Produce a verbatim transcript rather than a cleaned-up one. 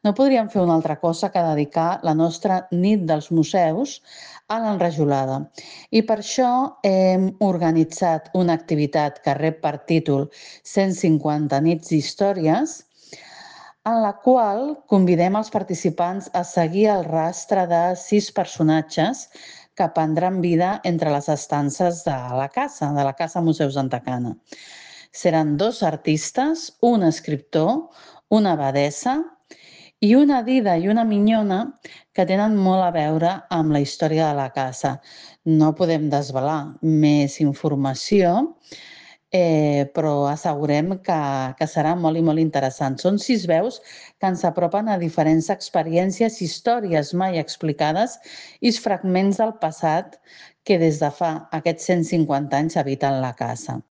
No podríem fer una altra cosa que dedicar la nostra nit dels museus a l'enrajolada. I per això hem organitzat una activitat que rep per títol cent cinquanta nits d'històries, en la qual convidem els participants a seguir el rastre de sis personatges que prendran vida entre les estances de la casa, de la Casa Museu Santa Cana. Seran dos artistes, un escriptor, una abadessa i una dida i una minyona que tenen molt a veure amb la història de la casa. No podem desvelar més informació, eh, però assegurem que, que serà molt i molt interessant. Són sis veus que ens apropen a diferents experiències, històries mai explicades i fragments del passat que des de fa aquests cent cinquanta anys habiten la casa.